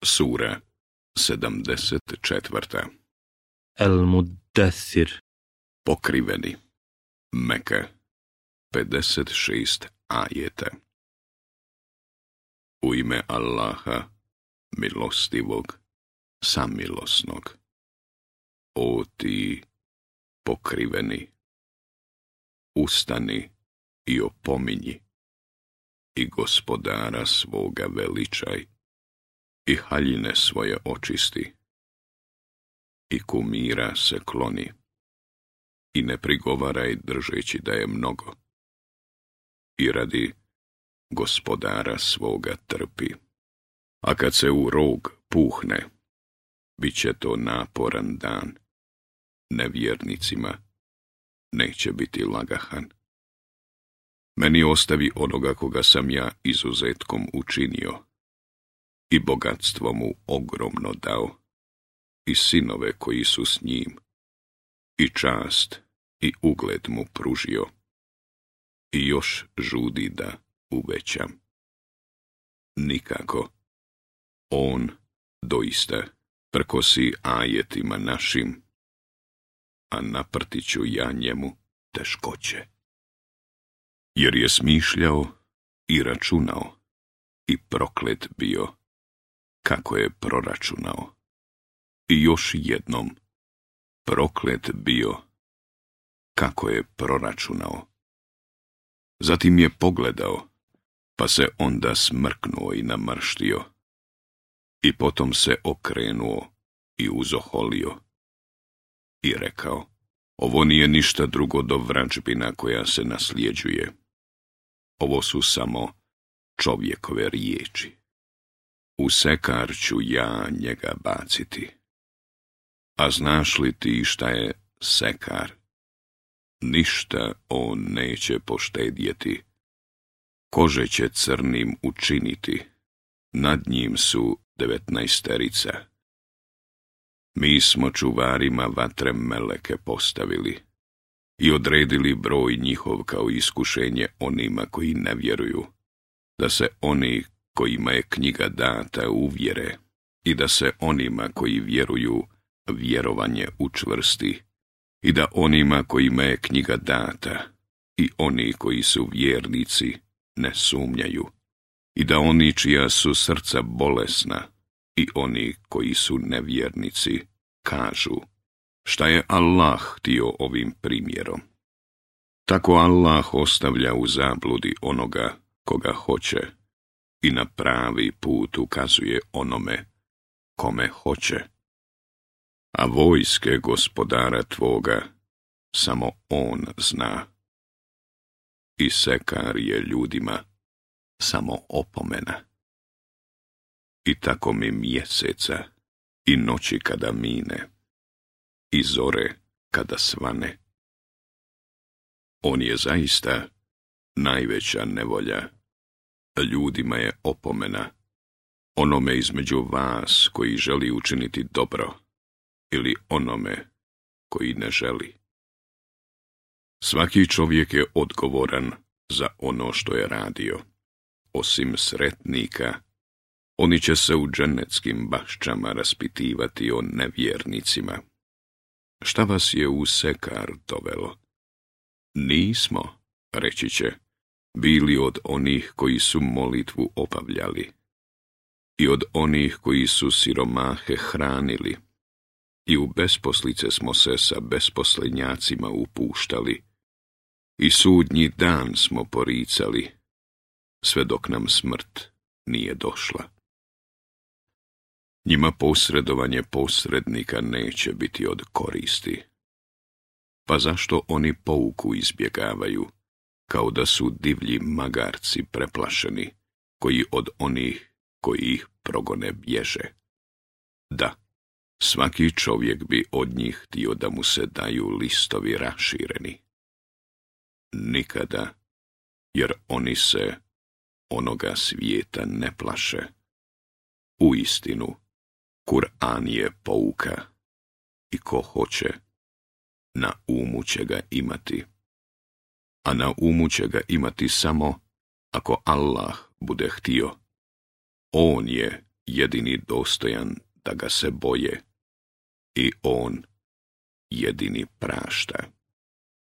Sura 74. El-Muddathir. Pokriveni. Meka. 56 ajeta. U ime Allaha, milostivog, samilosnog. O ti pokriveni, ustani i opominji, i gospodara svoga veličaj, i haljine svoje očisti, i kumira se kloni, i ne prigovaraj držeći da je mnogo, i radi gospodara svoga trpi. A kad se u rog puhne, bit će to naporan dan. Nevjernicima neće biti lagahan. Meni ostavi onoga koga sam ja izuzetkom učinio, i bogatstvo mu ogromno dao, i sinove koji su s njim, i čast i ugled mu pružio, i još žudi da uvećam. Nikako. On doista prkosi ajetima našim, a naprtit ću ja njemu teškoće. Jer je smišljao i računao, i proklet bio, kako je proračunao. I još jednom, proklet bio, kako je proračunao. Zatim je pogledao, pa se onda smrknuo i namrštio, i potom se okrenuo i uzoholio, i rekao, ovo nije ništa drugo do vražbina koja se nasljeđuje. Ovo su samo čovjekove riječi. U sekar ću ja njega baciti. A znaš li ti šta je sekar? Ništa on neće poštedjeti. Kože će crnim učiniti. Nad njim su 19. Mi smo čuvarima vatre meleke postavili i odredili broj njihov kao iskušenje onima koji ne vjeruju, da se oni kojima je knjiga data uvjere i da se onima koji vjeruju vjerovanje učvrsti i da onima kojima je knjiga data i oni koji su vjernici ne sumnjaju i da oni čija su srca bolesna i oni koji su nevjernici kažu, šta je Allah htio ovim primjerom. Tako Allah ostavlja u zabludi onoga koga hoće i na pravi put ukazuje onome kome hoće. A vojske gospodara tvoga samo on zna. I sekar je ljudima samo opomena. I tako mi mjeseca i noći kada mine, i zore kada svane. On je zaista najveća nevolja, ljudima je opomena, onome između vas koji želi učiniti dobro, ili onome koji ne želi. Svaki čovjek je odgovoran za ono što je radio, osim sretnika. Oni će se u dženeckim baščama raspitivati o nevjernicima. Šta vas je u sekar dovelo? Nismo, reći će, bili od onih koji su molitvu obavljali i od onih koji su siromahe hranili i u besposlice smo se sa besposlenjacima upuštali i sudnji dan smo poricali, sve dok nam smrt nije došla. Njima posredovanje posrednika neće biti od koristi. Pa zašto oni pouku izbjegavaju, kao da su divlji magarci preplašeni, koji od onih koji ih progone bježe? Da, svaki čovjek bi od njih htio da mu se daju listovi rašireni. Nikada, jer oni se onoga svijeta ne plaše. Uistinu, Kur'an je pouka i ko hoće, na umu će ga imati. A na umu će ga imati samo ako Allah bude htio. On je jedini dostojan da ga se boje i on jedini prašta.